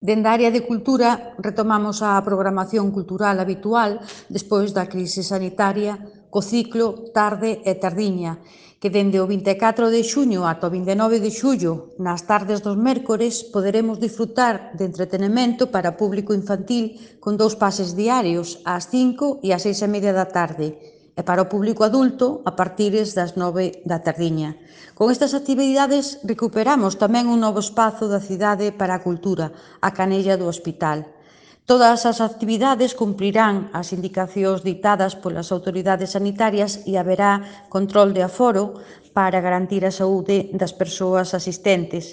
Dende a área de cultura retomamos a programación cultural habitual despois da crise sanitaria co ciclo Tarde e Tardiña, que dende o 24 de xuño ata o 29 de xullo, nas tardes dos mércores, poderemos disfrutar de entretenemento para público infantil con 2 pases diarios, ás 5 e ás 6:30 da tarde, e para o público adulto a partires das 9 da tardiña. Con estas actividades recuperamos tamén un novo espazo da cidade para a cultura, a Canella do Hospital. Todas as actividades cumprirán as indicacións ditadas polas autoridades sanitarias e haberá control de aforo para garantir a saúde das persoas asistentes.